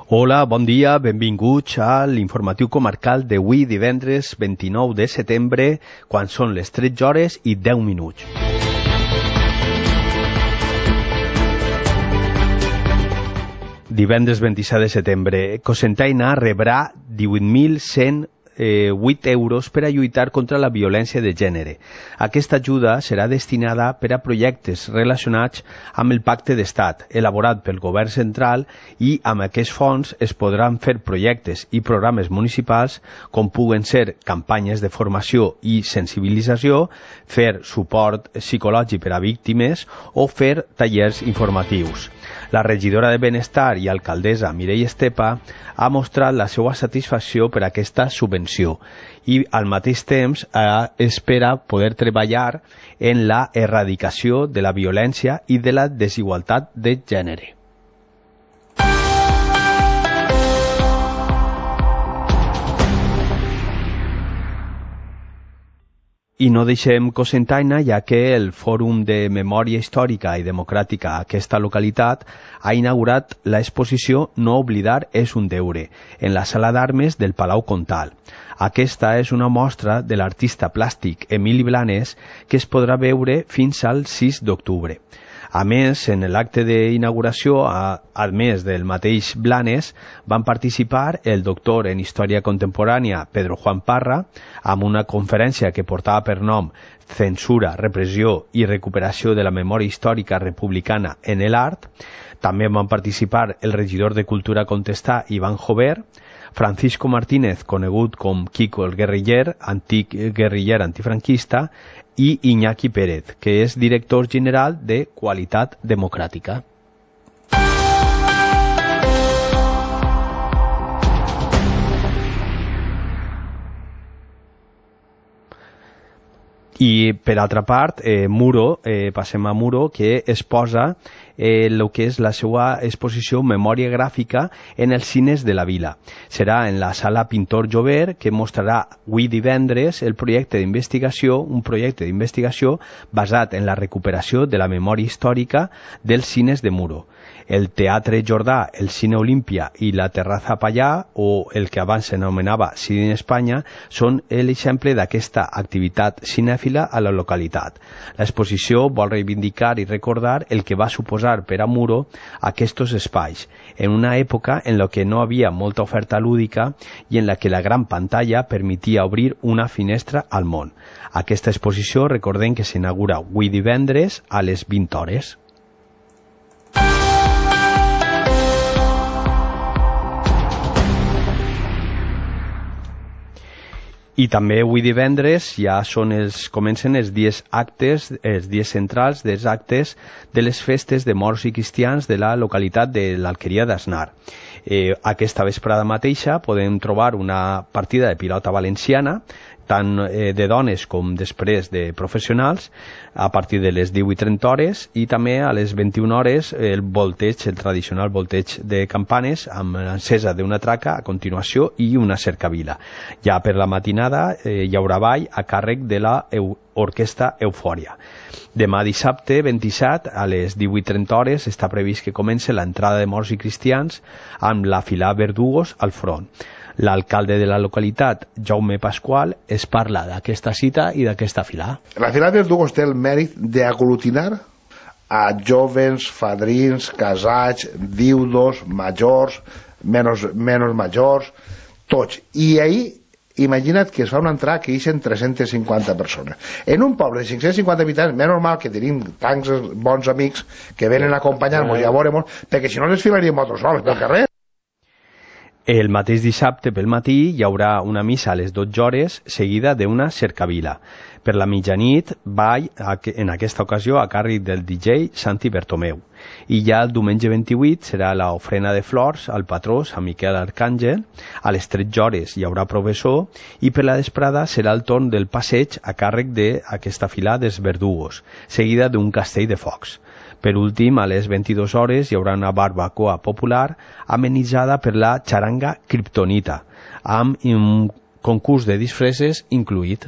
Hola, bon dia, benvinguts a l'informatiu comarcal d'avui divendres 29 de setembre, quan són les 13 hores i 10 minuts. Divendres 27 de setembre, Cocentaina rebrà 18.108 euros per a lluitar contra la violència de gènere. Aquesta ajuda serà destinada per a projectes relacionats amb el Pacte d'Estat, elaborat pel Govern Central, i amb aquests fons es podran fer projectes i programes municipals com puguen ser campanyes de formació i sensibilització, fer suport psicològic per a víctimes o fer tallers informatius. La regidora de Benestar i alcaldessa Mireia Estepa ha mostrat la seva satisfacció per aquesta subvenció i al mateix temps espera poder treballar en la erradicació de la violència i de la desigualtat de gènere. I no deixem Cocentaina, ja que el Fòrum de Memòria Històrica i Democràtica a aquesta localitat ha inaugurat l'exposició No oblidar és un deure, en la sala d'armes del Palau Comtal. Aquesta és una mostra de l'artista plàstic Emili Blanes que es podrà veure fins al 6 d'octubre. A més, en l'acte d'inauguració, a més del mateix Blanes, van participar el doctor en Història Contemporània Pedro Juan Parra, amb una conferència que portava per nom Censura, repressió i recuperació de la memòria històrica republicana en l'art. També van participar el regidor de Cultura Contestà, Iván Jover, Francisco Martínez, conegut com Kiko el Guerriller, antic guerriller antifranquista, i Iñaki Pérez, que és director general de Qualitat Democràtica. I per altra part, Muro, passem a Muro, que es posa el que és la seva exposició Memòria Gràfica en els cines de la vila. Serà en la sala Pintor Jover, que mostrarà avui divendres un projecte d'investigació basat en la recuperació de la memòria històrica dels cines de Muro. El Teatre Jordà, el Cine Olímpia i la Terraza Pallà, o el que abans s'anomenava Cine Espanya, són l'exemple d'aquesta activitat cinèfila a la localitat. L'exposició vol reivindicar i recordar el que va suposar per a Muro aquests espais, en una època en la que no havia molta oferta lúdica i en la que la gran pantalla permetia obrir una finestra al món. Aquesta exposició, recordem que s'inaugura avui divendres a les 20 hores. I també avui divendres ja comencen els dies centrals dels actes de les festes de morts i cristians de la localitat de l'Alqueria d'Asnar. Aquesta vesprada mateixa podem trobar una partida de pilota valenciana, tant de dones com després de professionals, a partir de les 18:30 hores, i també a les 21 hores el tradicional volteig de campanes amb l'encesa d'una traca a continuació i una cercavila. Ja per la matinada hi haurà ball a càrrec de l'orquestra Eufòria. Demà dissabte 27 a les 18:30 hores està previst que comenci l'entrada de morts i cristians amb la filà Verdugos al front. L'alcalde de la localitat, Jaume Pasqual, es parla d'aquesta cita i d'aquesta filà. La filà Verdugos té el mèrit d'aglutinar a jóvens, fadrins, casats, viudos, majors, menys majors, tots. I ahir, imagina't que es fa una entrada que hi eixen 350 persones. En un poble de 550 habitants, més normal que tenim tants bons amics que venen a acompanyar-nos i a veure-nos, perquè si no les filaríem nosaltres sols pel carrer. El mateix dissabte pel matí hi haurà una missa a les 12 hores seguida d'una cercavila. Per la mitjanit, ball, en aquesta ocasió, a càrrec del DJ Santi Bertomeu. I ja el diumenge 28 serà l'ofrena de flors al patró Sant Miquel Arcàngel. A les 13 hores hi haurà professor i per la vesprada serà el torn del passeig a càrrec d'aquesta filà dels Verdugos, seguida d'un castell de focs. Per últim, a les 22 hores hi haurà una barbacoa popular amenitzada per la xaranga Kryptonita, amb un concurs de disfresses incluït.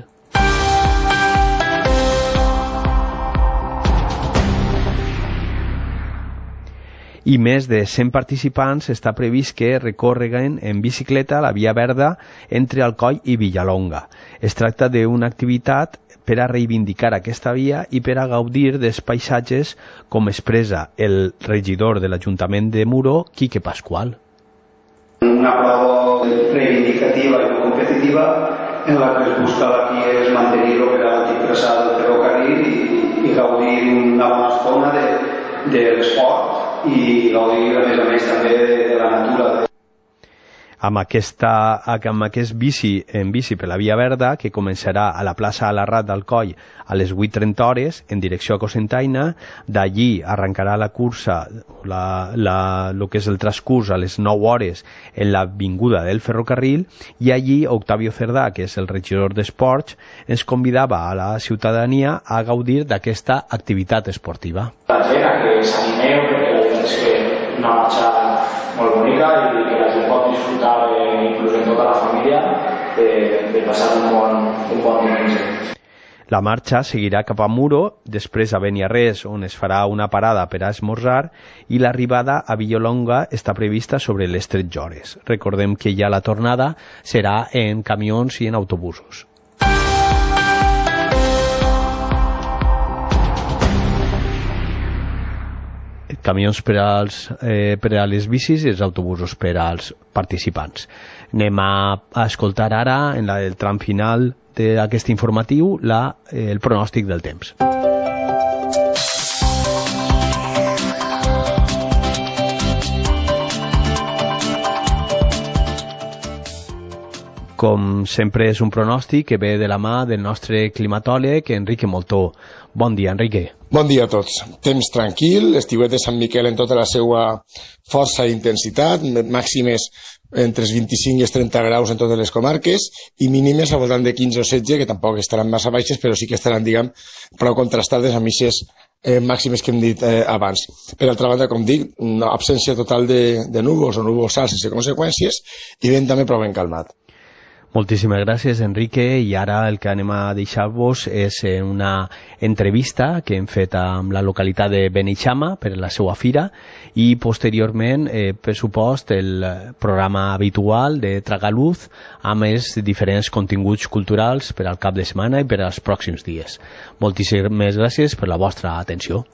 i més de 100 participants està previst que recorreguen en bicicleta la Via Verda entre Alcoi i Villalonga. Es tracta d'una activitat per a reivindicar aquesta via i per a gaudir dels paisatges, com expressa el regidor de l'Ajuntament de Muro, Quique Pascual. Una prova reivindicativa i no competitiva en la que es busca aquí és mantenir l'operatiu traçat del ferrocarril i gaudir d'una bona estona de l'esport i gaudir a més també de la natura. Amb aquest bici per la Via Verda, que començarà a la plaça Alarrat d'Alcoi a les 8:30 hores en direcció a Cocentaina. D'allí arrencarà la cursa, el que és el transcurs, a les 9 hores en l'avinguda del Ferrocarril, i allí Octavio Cerdà, que és el regidor d'Esports, ens convidava a la ciutadania a gaudir d'aquesta activitat esportiva. La gent a que s'animeu, perquè la veritat és que una marxa molt bonica i que la gent pot disfrutar, inclús en tota la família, de passar un bon diumenge. La marxa seguirà cap a Muro, després a Beniarrés, on es farà una parada per a esmorzar, i l'arribada a Villalonga està prevista sobre les 13 hores. Recordem que ja la tornada serà en camions i en autobusos. Camions per a les bicis i els autobusos per als participants. Anem a escoltar ara, en el tram final d'aquest informatiu, el pronòstic del temps. Com sempre és un pronòstic que ve de la mà del nostre climatòleg, Enrique Moltó. Bon dia, Enrique. Bon dia a tots. Temps tranquil, estiuet de Sant Miquel en tota la seva força i intensitat, màximes entre els 25 i els 30 graus en totes les comarques i mínimes al voltant de 15 o 16, que tampoc estaran massa baixes, però sí que estaran, diguem, prou contrastades amb aquestes màximes que hem dit abans. Per altra banda, com dic, una absència total de núvols o núvols alts sense conseqüències i vent també prou ben calmat. Moltíssimes gràcies, Enrique, i ara el que anem a deixar-vos és una entrevista que hem fet amb la localitat de Beneixama per la seva fira i posteriorment, per supost, el programa habitual de Tragaluz amb els diferents continguts culturals per al cap de setmana i per als pròxims dies. Moltíssimes gràcies per la vostra atenció.